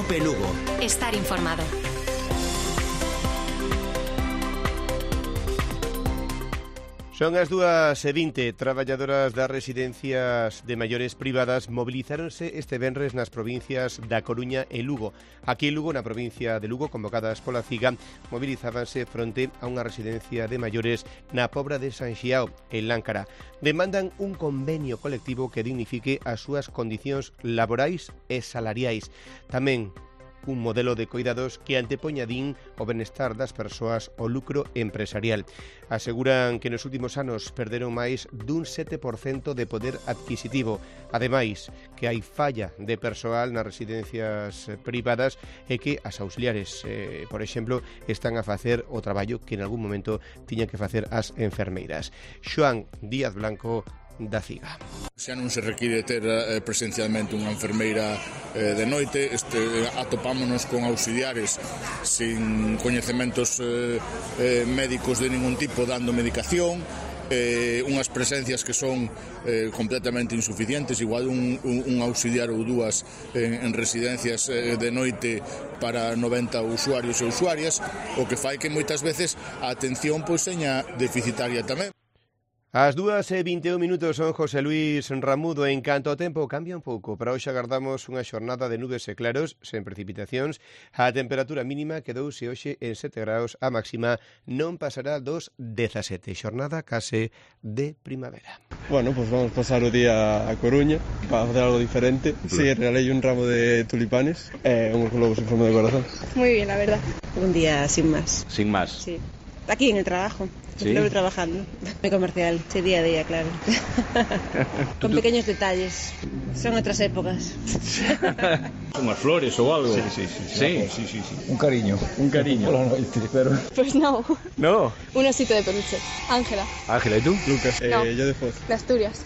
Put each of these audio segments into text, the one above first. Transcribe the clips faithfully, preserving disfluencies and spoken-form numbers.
Cope Lugo. Estar informado. Son as dúas e vinte. Traballadoras das residencias de maiores privadas mobilizáronse este venres nas provincias da Coruña e Lugo. Aquí en Lugo, na provincia de Lugo, convocadas pola CIGA, movilizábanse fronte a unha residencia de maiores na Pobra de San Xiao, en Láncara. Demandan un convenio colectivo que dignifique as súas condicións laborais e salariais. Tamén un modelo de coidados que antepoña, din, o benestar das persoas ao lucro empresarial. Aseguran que nos últimos anos perderon máis dun sete por cento de poder adquisitivo. Ademais, que hai falla de persoal nas residencias privadas e que as auxiliares, eh, por exemplo, están a facer o traballo que en algún momento tiñan que facer as enfermeiras. Xoán Díaz Blanco, da CIGA. Xa non se require ter eh, presencialmente unha enfermeira eh, de noite. Este, atopámonos con auxiliares sin coñecementos eh, eh, médicos de ningún tipo dando medicación, eh, unhas presencias que son eh, completamente insuficientes, igual un, un, un auxiliar ou dúas en, en residencias eh, de noite para noventa usuarios e usuarias, o que fai que moitas veces a atención pois seña deficitaria tamén. As dúas e vinte e un minutos son José Luis Ramudo. En canto ao tempo, cambia un pouco. Para hoxe agardamos unha xornada de nubes e claros, sen precipitacións. A temperatura mínima quedouse hoxe en sete graus, a máxima non pasará dos dezasete. Xornada case de primavera. Bueno, pues vamos a pasar o día a Coruña para facer algo diferente. Sí, regalei un ramo de tulipanes e eh, uns globos en forma de corazón. Muy bien, la verdad. Un día sin más. Sin más. Sí. Aquí en el trabajo, ¿Sí? Estoy trabajando, de comercial, sí, día a día, claro. Con pequeños detalles, son otras épocas. Unhas flores ou algo. Sí, sí, sí. Sí, sí, sí, sí. Un cariño. Un cariño. Pola noite, pero... Pues no. No. Un osito de peluche. Ángela. Ángela, ¿y tú? Lucas, No. eh, yo de Foz. De Asturias.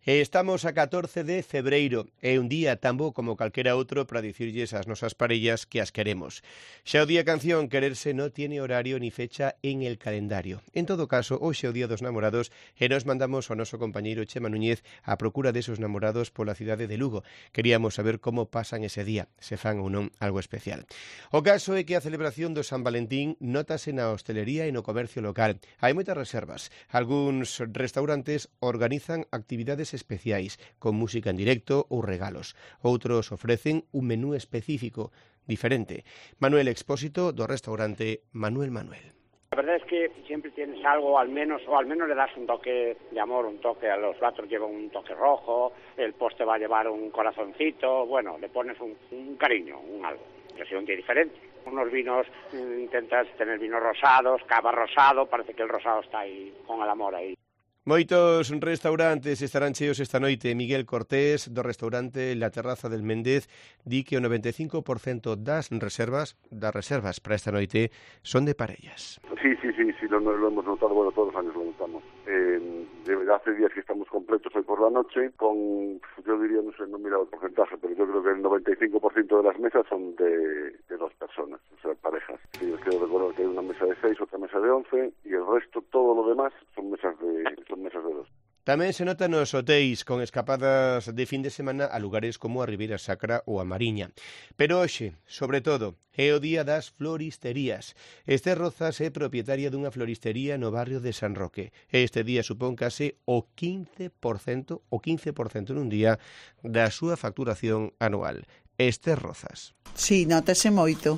Estamos a catorce de febreiro, é un día tan bo como calquera outro para dicirlles ás nosas parellas que as queremos. Xa o día canción quererse non tiene horario ni fecha en el calendario. En todo caso, hoxe é o día dos namorados e nos mandamos ao noso compañeiro Chema Núñez a procura desos namorados pola cidade de Lugo. Queríamos saber como pasan ese día, se fan ou non algo especial. O caso é que a celebración do San Valentín notase na hostelería e no comercio local. Hai moitas reservas. Algúns restaurantes organizan actividades especiais, con música en directo ou regalos. Outros ofrecen un menú específico, diferente. Manuel Expósito, do restaurante Manuel Manuel. La verdad es que siempre tienes algo, al menos, o al menos le das un toque de amor, un toque a los platos, lleva un toque rojo, el postre va a llevar un corazoncito, bueno, le pones un, un cariño, un algo. Que sea un día diferente. Unos vinos, intentas tener vinos rosados, cava rosado, parece que el rosado está ahí, con el amor ahí. Moitos restaurantes estarán cheos esta noite. Miguel Cortés, do restaurante La Terraza del Méndez, di que o noventa e cinco por cento das reservas das reservas para esta noite son de parellas. Sí, sí, sí, sí, lo, lo hemos notado, bueno, todos los años lo notamos. Eh, de verdad, hace días que estamos completos hoy por la noche, con, yo diría, no sé, no he mirado el porcentaje, pero yo creo que el noventa y cinco por ciento de las mesas son de, de dos personas, o sea, parejas. Sí, os quiero recordar que hay una mesa de seis, otra mesa de once, y el resto, todo lo demás, son mesas de, son mesas de dos. Tamén se nota nos hotéis con escapadas de fin de semana a lugares como a Ribeira Sacra ou a Mariña. Pero hoxe, sobre todo, é o día das floristerías. Esther Rozas é propietaria dunha floristería no barrio de San Roque. Este día supón case o quince por cento, o quince por cento nun día da súa facturación anual. Esther Rozas. Sí, notase moito.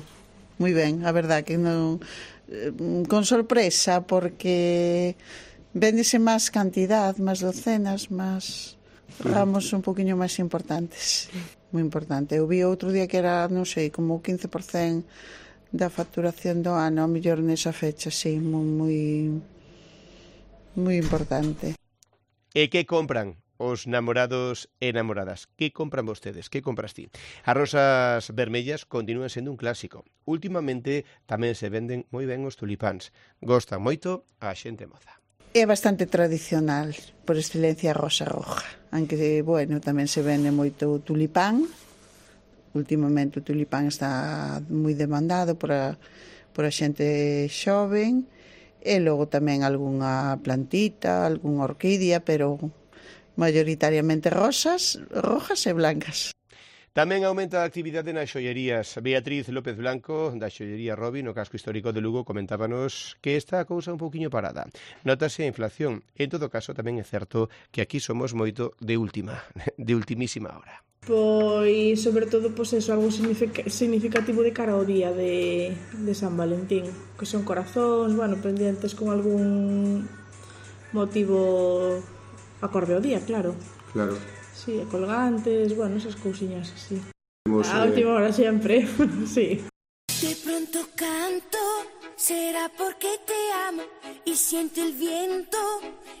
Moi ben, a verdad que non... Con sorpresa, porque... Véndese máis cantidad, máis docenas, máis ramos un poquinho máis importantes. Moi importante. Eu vi outro día que era, non sei, como o quince por cento da facturación do ano, a mellor nesa fecha, sí, moi, moi, moi importante. E que compran os namorados e namoradas? Que compran vostedes? Que compras ti? As rosas vermellas continúan sendo un clásico. Últimamente tamén se venden moi ben os tulipáns. Gostan moito a xente moza. É bastante tradicional, por excelencia rosa roja. Aunque, bueno, tamén se vende moito tulipán. Últimamente o tulipán está moi demandado por a, por a xente xoven. E logo tamén algunha plantita, algunha orquídea, pero maioritariamente rosas, rojas e blancas. Tamén aumenta a actividade nas xoierías. Beatriz López Blanco, da xoiería Robi, no casco histórico de Lugo, comentábanos que está a cousa un pouquiño parada. Nótase a inflación. En todo caso, tamén é certo que aquí somos moito de última, de ultimísima hora. Pois, sobre todo, pois eso, algo significativo de cara ao día de, de San Valentín, que son corazóns, bueno, pendientes con algún motivo acorde ao día, claro. Claro. Sí, colgantes, bueno, esas cousiñas así. A última hora sempre, sí. De pronto canto, será porque te amo y siento el viento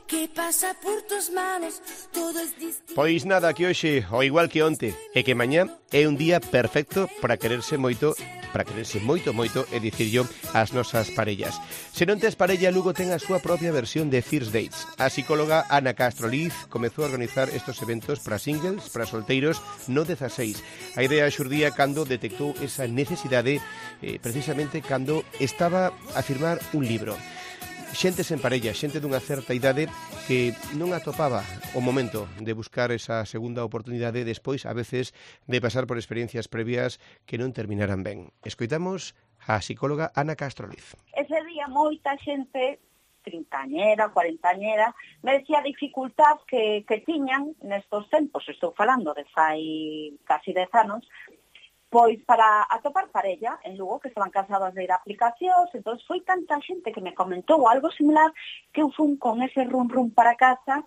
que pasa por tus manos, todo es distinto. Pois nada, que hoxe, ao igual que onte, e que mañá é un día perfecto para quererse moito, para quererse moito, moito, e dicir yo, as nosas parellas. Se non tes parella, Lugo ten a súa propia versión de First Dates. A psicóloga Ana Castro Liz comezou a organizar estos eventos para singles, para solteiros, no dezaseis. A idea xurdía cando detectou esa necesidade, eh, precisamente cando estaba a firmar un libro. Xente sen parella, xente dunha certa idade que non atopaba o momento de buscar esa segunda oportunidade despois, a veces, de pasar por experiencias previas que non terminaran ben. Escoitamos a psicóloga Ana Castro Liz. Ese día moita xente, trintañera, cuarentañera, me decía a dificultad que, que tiñan nestos tempos, estou falando de fai casi dez anos, pois para atopar parella en Lugo, que estaban cansadas de ir a aplicacións, entón foi tanta xente que me comentou algo similar que eu fun con ese rum rum para casa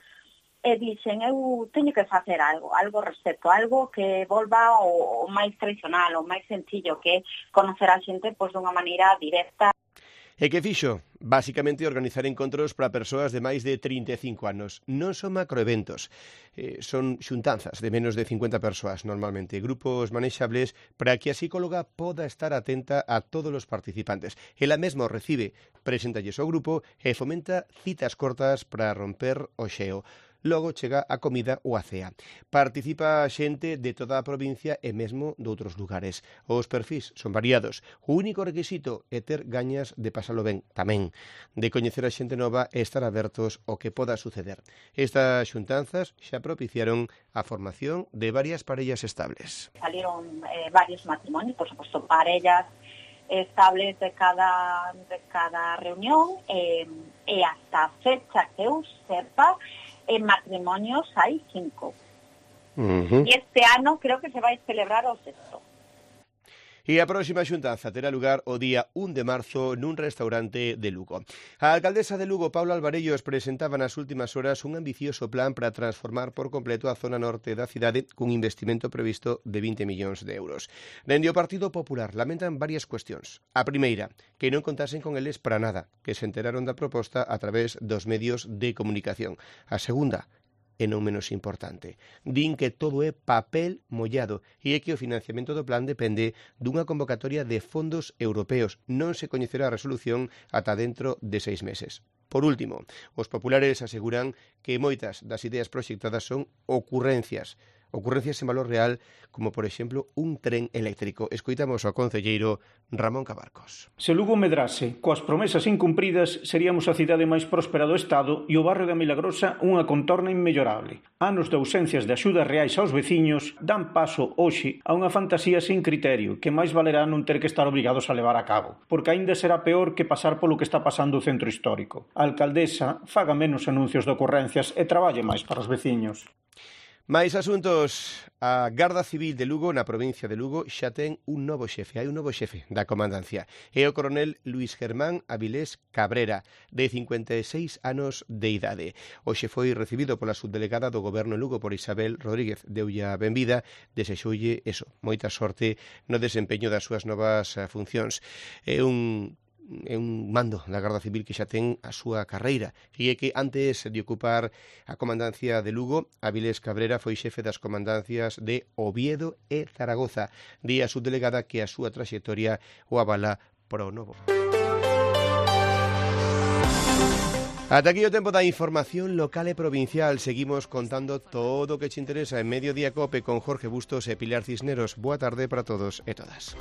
e dixen, eu teño que facer algo, algo respecto, algo que volva o, o máis tradicional, o máis sencillo, que é conocer a xente pois dunha maneira directa. E que fixo? Básicamente organizar encontros para persoas de máis de trinta e cinco anos. Non son macroeventos, eh, son xuntanzas de menos de cincuenta persoas normalmente, grupos manexables para que a psicóloga poda estar atenta a todos os participantes. Ela mesmo recibe, presentalles ao grupo e fomenta citas cortas para romper o xeo. Logo chega a comida ou a cea. Participa xente de toda a provincia e mesmo de outros lugares. Os perfis son variados. O único requisito é ter gañas de pasalo ben, tamén, de coñecer a xente nova e estar abertos ao que poda suceder. Estas xuntanzas xa propiciaron a formación de varias parellas estables. Salieron eh, varios matrimonios, por suposto, parellas estables de cada, de cada reunión eh, e hasta fecha que eu sepa, en matrimonios hai cinco. Uh-huh. E este ano creo que se vai celebrar o sexto. E a próxima xuntanza terá lugar o día un de marzo nun restaurante de Lugo. A alcaldesa de Lugo, Paula Alvarellos, presentaba nas últimas horas un ambicioso plan para transformar por completo a zona norte da cidade cun investimento previsto de vinte millóns de euros. Dende o Partido Popular lamentan varias cuestións. A primeira, que non contasen con eles para nada, que se enteraron da proposta a través dos medios de comunicación. A segunda, e non menos importante, din que todo é papel mollado e é que o financiamento do plan depende dunha convocatoria de fondos europeos. Non se coñecerá a resolución ata dentro de seis meses. Por último, os populares aseguran que moitas das ideas proxectadas son ocurrencias, ocurrencias en valor real, como por exemplo un tren eléctrico. Escoitamos ao concelleiro Ramón Cabarcos. Se Lugo medrase coas promesas incumpridas, seríamos a cidade máis próspera do Estado e o barrio da Milagrosa unha contorna inmellorable. Anos de ausencias de axudas reais aos veciños dan paso hoxe a unha fantasía sin criterio que máis valerá non ter que estar obrigados a levar a cabo, porque aínda será peor que pasar polo que está pasando o centro histórico. A alcaldesa faga menos anuncios de ocurrencias e traballe máis para os veciños. Mais asuntos, a Garda Civil de Lugo, na provincia de Lugo, xa ten un novo xefe, hai un novo xefe da comandancia. É o coronel Luis Germán Avilés Cabrera, de cincuenta e seis anos de idade. Hoxe foi recibido pola subdelegada do Goberno en Lugo por Isabel Rodríguez. Deulle a benvida, desexoulle eso, moita sorte no desempeño das súas novas funcións. É un é un mando da Garda Civil que xa ten a súa carreira e é que antes de ocupar a comandancia de Lugo, Avilés Cabrera foi xefe das comandancias de Oviedo e Zaragoza. Di a subdelegada que a súa traxectoria o avala pro novo. Ata aquí o tempo da información local e provincial. Seguimos contando todo o que te interesa en Mediodía Cope con Jorge Bustos e Pilar Cisneros. Boa tarde para todos e todas.